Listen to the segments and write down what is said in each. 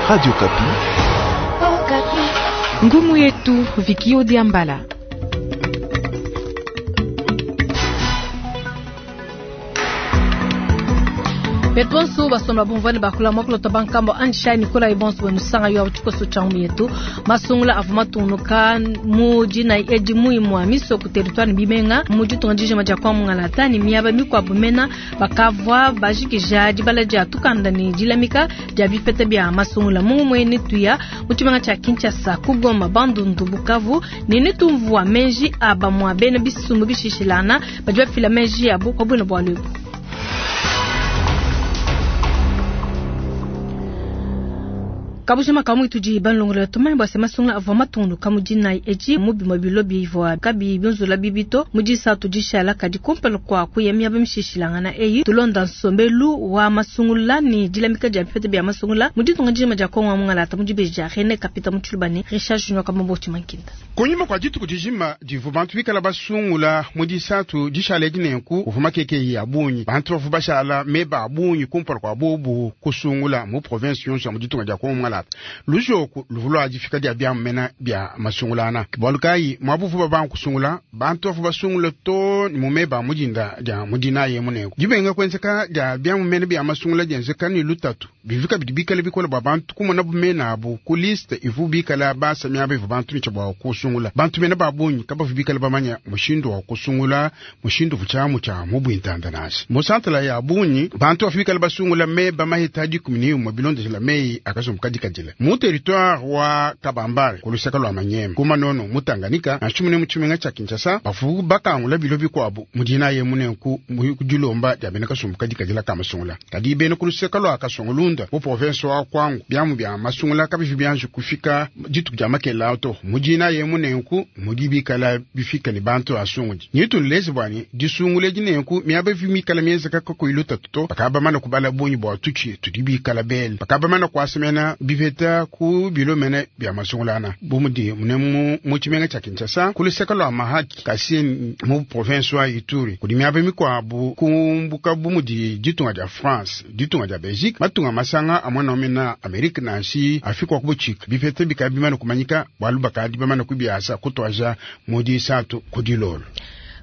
Radio Okapi. Ngumu yetu Vikio Diambala. Betu bonso basomba bumvua bakula mwakulota bankambo anjishai nikola ibonso benu yo tshikoso tshia ngumu yetu masungula avua matungunuka mu dina edi muimua miso ku territoire bimenga mu ditunga dijima dia kwa mungalata ne miaba mikuabu mena bakavua bajikija dibala dia tukanda ne dilamika dia bipeta bia masungula mu muene tuya mu tshimenga tshia Kinshasa ku Goma Bandundu Bukavu ne netumvua meji a bamua bena bisumbu bishishilana badi bafila meji yabo pa buena bualu ebu. Kabushima kamwe tudi banlongola tumanye bua se masungula avua matungunuka mu dinayi edi mu bimue bilo bivua kabiyi biunzula bibi to mu disatu dishala kadi kumpala kua kuya miaba mishishilangana eyi tulonda nsombelu wa masungula ne dilamika dia bipeta bia masungula mu ditunga dijima dia Kongo wa mungalata mu dibeji dia Rene Kapita mu Tshiluba ne Richard Junior Kamambo Tshimankinda. Kunyima kua dituku dijima divua bantu bikala basungula mu disatu dishala edi nenku uvua makeke ya bungi bantu bavua bashala meba a bungi kumpala kua bobu kusungula mu province yonso ya mu ditunga dia Kongo mungalata lujoku luvua lua difika dia biamena bia masungulana bualu kayi muabuvu babanga kusungula bantu bavua basungula to ni mu meba a mudinda dia mudinayi munenku dibenga kuenzeka dia biamumene bia masungula dienzeka ni lutatu bivika bidi bikala bikola bua bantu kumona bumena abu ku liste ivu bikala basa miaba ivu bantu nicha bua kusungula bantu mena ba bungi kabavu bikala bamanya mushindu wa kusungula mushindu vuchamu cha mubwintanda nasi mu santala ya bungi bantu bavu bikala basungula meba mahita dikumi ni umwe bilondeshela meyi akasumbu kadikadila mu territoire wa Kabambare ku lusaka lwa Manyema ku Manono mu Tanganyika nansha mune mu tshimenga tshia Kinshasa bavu bakangula bilo bikuabu mu dinayi munenku mu dilomba dia bena kasumbu kadikadila ka masungula kadi bena ku lusaka lwa Kasongolunda mu province wa Kwango biamu bia masungula kabivi bianji kufika dituku dia makela to mu dinayi munenku mudi bikala bifika ne bantu asungudi nitululeze bwani disungula dinenku miaba ivi mikala mienzeka kakuyi lutatu to bakabamana kubala bungi bua tutshi tudi bikala bele bakabamana kuasemena bipeta ku bilo mene bia masungulana bu mudi mune mu tshimenga tshia Kinshasa ku luseke lua Mahaki kasi mu province wa Ituri kudi miaba mikuabu kumbuka bu mudi ditunga dia France ditunga dia Belgique matunga masanga amwana omena Amerika nansi Afrika wa kubutshika bipeta bikala bimana kumanyika bualu bakadi bamana kubiasa kutwaja mu disatu ku dilolo.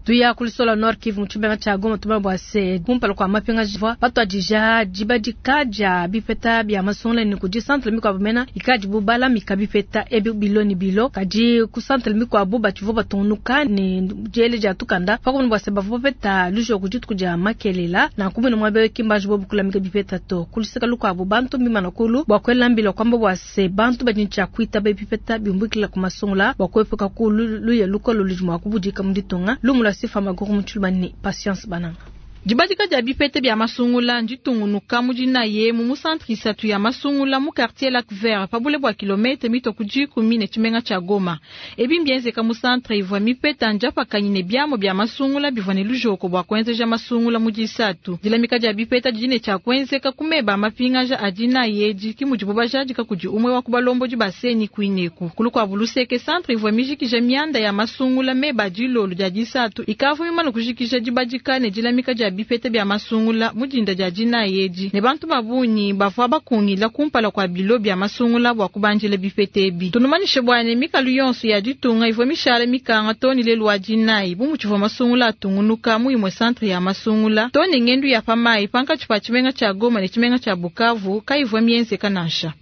Tuya kulisola Nord Kivu mu tshimenga tshia Goma tumanye bua se kumpala kua mapinga jivua batuadija dibadika dia bipeta bia masungula ne kudi centre mikuabu mena ikadi bubalamika bipeta ebi bilo ni bilo kadi ku centre mikuabu batshivua batungunuka ne diele dia tukanda pakumona bua se bavua bapeta lujoku dituku dia makelela nanku mwene muaba ewu ki mbanji bobu kulamika bipeta to kuluseka lukuabu bantu mbimana kulu bua kuela mbila kuamba bua se bantu badi ne tshia kuitaba bipeta biumbukila ku masungula bua kuepuka ku luya lukolo ludi mua kubudika mu ditunga lumu lua Sifa Maguru mu Tshiluba ne Patience Bananga. Dibadika dia bipeta bia masungula nditungunuka mu dinayi mu centre isatu ya masungula mu quartier Lac Vert pa bule bua kilomètre mitue ku dikumi ne tshimenga tshia Goma. Ebi mbienzeka mu centre ivua mipeta ndiapakanyi ne biamu bia masungula bivua ne lujoko bua kuenzeja masungula mu disatu. Dilamika dia bipeta didi ne tshia kuenzeka ku meba a mapingaja a dinayi edi ki mudibu bajadika kudi umue wa ku balombodi ba CENI kuineku. Ku lukuabu luseke centre ivua mijikija mianda ya masungula meba a dilolo dia disatu ikavua mimane kujikija dibadika ne dilamika dia bipeta bia masungula mu dinda dia dinayi edi ne bantu ba bungi bavua bakungila kumpala kua bilo bia masungula bua kubandila bipeta ebi. Tunumanyishe bua ne mikalu yonso ya ditunga ivua mishala mikanga to ne lelu wa dinayi bu mutshivua masungula atungunuka mu imue centre ya masungula to ne ngendu ya pa mayi pankatshi pa tshimenga tshia Goma ne tshimenga tshia Bukavu kayivua mienzeka nansha.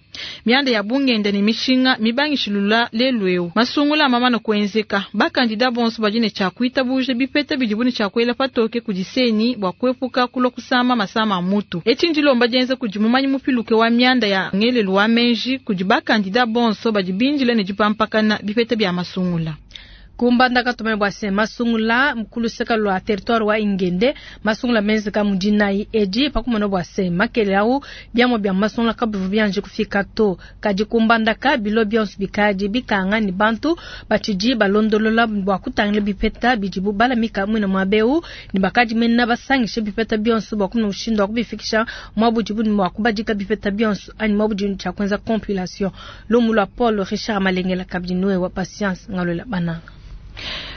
Mianda ya bungenda ne mishinga mibangishilula lelu eu masungula amamana kuenzeka bakandida bonso badi ne tshia kuitabuja bipeta bidibu ne tshia kuela patoke kudi CENI bua kuepuka kulua kusama masama a mutu. Etshi ndilomba dienza kudi mumanyi mupiluke wa mianda ya ngelelu wa menji kudi bakandida bonso badi bindila ne dipampakana bipeta bia masungula. Kumbandaka tumanye bua se masungula kuluseka lua territoire wa Ingende masungula menzeka mu dinayi edi pakumona bua se makele au biamua bia masungula kabivu bianji kufika to kadi kumbandaka bilo bionso bikadi bikanga ni bantu batshidi balondolola bua kutangila bipeta bidibu balamika mwina muabeu ni bakadi mena basangishe bipeta bionso bua kumona mushindu wa kubifikisha muabudibu ni mua kubadika bipeta bionso anyi muabudibu tshia kuenza compilation. Lumu lua Paul Richard Malengela kabidi noe wa Patience Ngalola Bananga.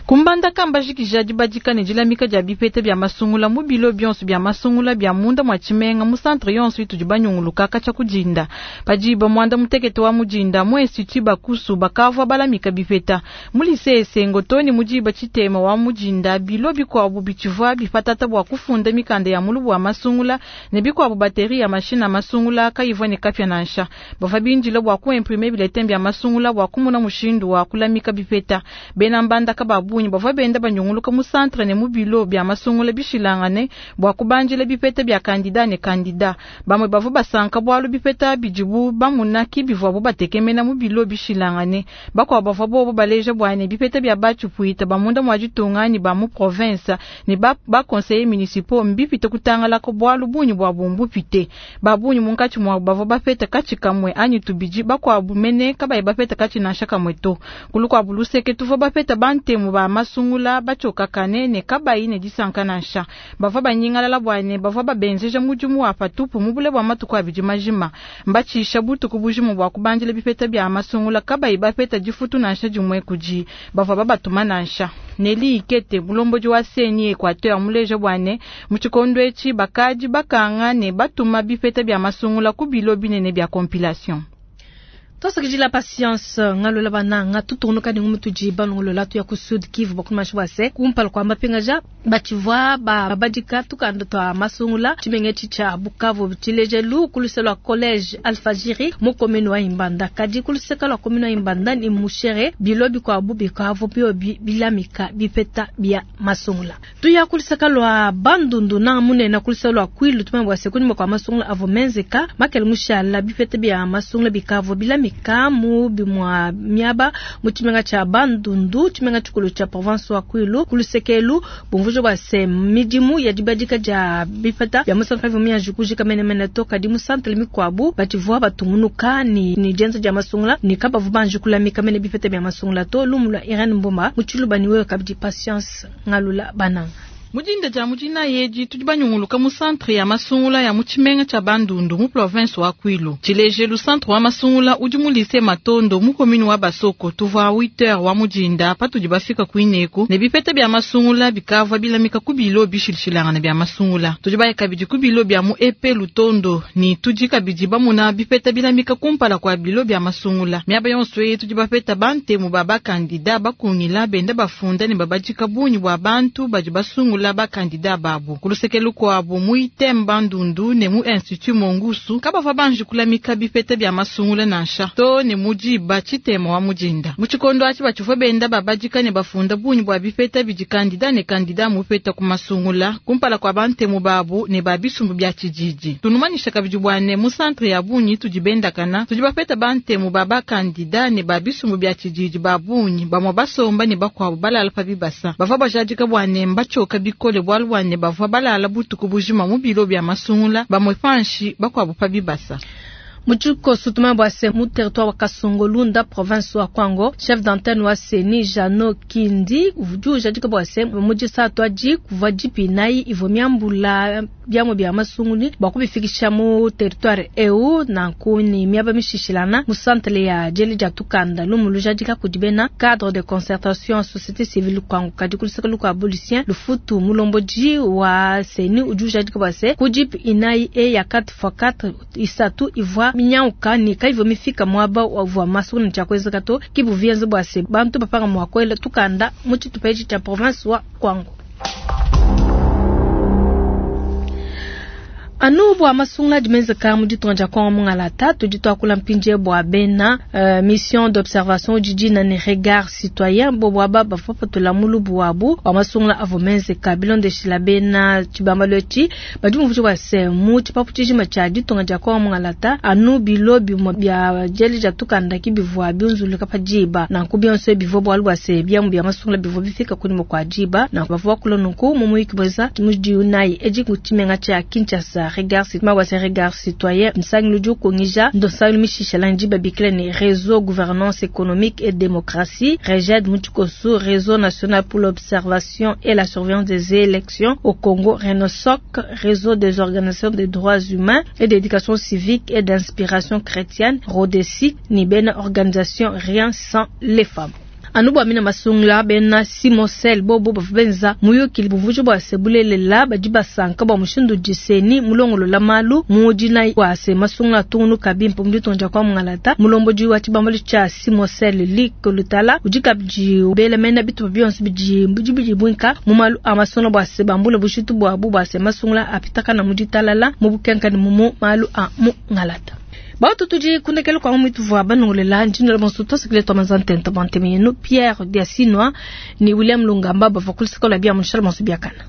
Ku Mbandaka mbajikija dibadika ne dilamika dia bipeta bia masungula mu bilo bionso bia masungula bia munda mua tshimenga mu centre yonso itudi banyunguluka katshia ku dinda. Pa diba muanda mutekete wa mu dinda mu Institut Bakusu bakavua balamika bipeta. Mu Lycee Esengo too ne mu diba tshitema wa mu dinda bilo bikuabu bitshivua bipatata bua kufunda mikanda ya mulubu wa masungula ne bikuabu batterie ya mashine a masungula kayivua ne kapia nansha. Bavua bindile bua ku imprimer bulletin bia masungula bua kumona mushindu wa kulamika bipeta. Bena Mbandaka ba bungi bavua benda banyunguluka mu centre ne mu bilo bia masungula bishilangane bua kubandila bipeta bia kandida ne kandida. Bamue bavua basanka bualu bipeta bidibu bamuna ki bivuabu batekemena mu bilo bishilangane. Bakuabu bavua bobu baleja bua ne bipeta bia ba tshipuita ba munda mua ditunga ne ba mu province ne ba ba conseillers municipaux mbipite kutangalaka bualu bungi buabu mbupite. Ba bungi munkatshi muabu bavua bapeta katshi kamue anyi tubidi, bakuabu mene kabayi bapeta katshi nansha kamue to. Ku lukuabu luseke, tuvua bapeta bantemu ba masungula batshiokakane ne kabayi ne disanka nansha. Bavua banyingalala bua ne, bavua babenzeja mudimu wa patupu mu bule bua matuku abidi majima, mbatshisha butuku bujima bua kubandila bipeta bia masungula kabayi bapeta difutu nansha dimue kudi bavua babatuma nansha. Nelly Ikete, mulombodi wa CENI Equateur, muleja bua ne, mu tshikondo etshi bakadi bakanga ne batuma bipeta bia masungula ku bilo binene bia compilation. Twasakidila Patience Ngalola bananga tutungunuka ne ngumu tudi balongolola tuya ku Sud Kivu bakumasha bua se kumpala kua mapingaja batshivua babadika tukanda tua masungula tshimenga etshi tshia Bukavu tshilejelu ku luseke lua college Alfajiri mu commune wa Imbanda kadi ku luseke lua commune wa Imbanda ni Mushere bilo bikuabu bikavu biobi bilamika bipeta bia masungula. Tuya ku luseke lua Bandundu na munene ku luseke lua Kwilu tumanye bua se kunyima kua masungula avua menzeka makele mushala bipeta bia masungula bikavua bilamika mu bimua miaba mu tshimenga tshia Bandundu tshimenga tshikulu tshia province wa Kwilu ku luseke elu bumvuija bua se midimu ya dibadika dia bipeta bia masungula kayivua mianji kujika menemene to kadi mu santre mikuabu batshivua batungunuka ne ne dienza dia masungula ne kabavua banji kulamika mene bipeta bia masungula to. Lumu lua Irene Mboma mu Tshiluba ne wewe kabidi Patience Ngalula Bananga. Mu dinda dia mu dinayi edi, tudi banyunguluka mu centre ya masungula ya mu tshimenga tshia Bandundu mu province wa Kwilu. Tshilejelu, centre wa masungula udi mu lycée Matondo mu commune wa Basoko. Tuvua 8 heures wa mu dinda patudi bafika kuineku ne bipeta bia masungula bikavua bilamika ku bilo bishilashilangane bia masungula. Tudi baya kabidi ku bilo bia mu EP Lutondo ne tudi kabidi bamuna bipeta bilamika kumpala kua bilo bia masungula. Miaba yonso eyi tudi bapeta bantemu ba bakandida bakungila benda bafunda ne babadika bungi bua bantu badi basungula bakandida babu. Ku luseke lukuabu mu ITM Bandundu ne mu Institut Mongusu kabavua banji kulamika bipeta bia masungula nansha too ne mu diba tshitema wa mu dinda. Mu tshikondo atshi batshivua benda babadika ne bafunda bungi bua bipeta bidi kandida ne kandida mupeta ku masungula kumpala kua bantemu babu ne ba bisumbu bia tshididi. Tunumanyisha kabidi bua ne mu centre ya bungi tudi bendakana tudi bapeta bantemu ba bakandida ne ba bisumbu bia tshididi ba bungi bamue basomba ne bakuabu balala pa bibasa. Bavua bajadika bua ne mbatshioka bikole bualu bua ne bavua balala butuku bujima mu bilo bia masungula bamue panshi bakuabu pa bibasa. Mu tshikoso tumanye bua se mu territoire wa Kasongolunda province wa Kwango chef d'antenne wa CENI Jeannot Kindi udi ujadika bua se mu disatu adi kuvua jipi inayi ivua miambula biamua bia masunguli bua kubifikisha mu territoire eu nanku ni miaba mishishilana mu centre ya diele dia tukanda lumu lujadika kudi bena cadre de concertation société civile Kwango kadi ku luseke lukuabu Lucien Lufutu mulombodi wa CENI udi ujadika bua se ku jipi inayi e ya 4x4 isatu ivua minyauka ne kayivua mifika muaba uvua masungula ne tshiakuenzeka to ki buvienze bua se bantu bapanga mua kuela tukanda mu tshitupa etshi tshia province wa Kwango. Anu bua masungula adi menzeka mu ditunga dia Kongo mungalata tudi tuakula mpindie bua bena mission d'observation didi ne regard citoyen bobu aba bavua bapatula mulubu wabu wa masungula avua menzeka bilondeshila bena tshibambalu etshi badi bumvuija bua se mu tshipapu tshijima tshia ditunga dia Kongo mungalata anu bilo bimue bia diele dia tukanda ki bivua biunzuluka pa diba nanku bionso bivua bualu bua se biamu bia masungula bivua bifika kunyima kua diba nanku bavua bakula nunku mu muyuki muenza mu diunayi edi ku tshimenga tshia Kinshasa. Regard citoyen, regard citoyen nsangilu udi ukungija nsangilu mishishala ndi babikila ne réseau gouvernance économique et démocratie REGED mu tshikoso réseau national pour l'observation et la surveillance des élections au Congo RENOSOC réseau des organisations des droits humains et d'éducation civique et d'inspiration chrétienne RODESI ni bena organisation rien sans les femmes. Anu bua mina masungula bena Simosel bobo bavua benza muyuki bumvuija bua se bulelela badi basanka bua mushindu udi CENI mulongolola malu mu dinayi bua se masungula atungunuka bimpe mu ditunga dia kwa mungalata. Mulombodi wa tshibambalu tshia Simosel Luc Lutala udi kabidi ubela mena bitupa bionso bidi bidibuinka mu malu a masungula bua se bambule bujitu buabu bua se masungula apitakana mu ditalala mu bukenka ne mu malu a mungalata. Batu tudi kundekela kwa mwitu vwa banongolela ndinola bonso tosekele twa ntenta bwa nteme yenu Pierre Diasinwa ni William Lungamba bava kulisikola bia munshala bonso biakana.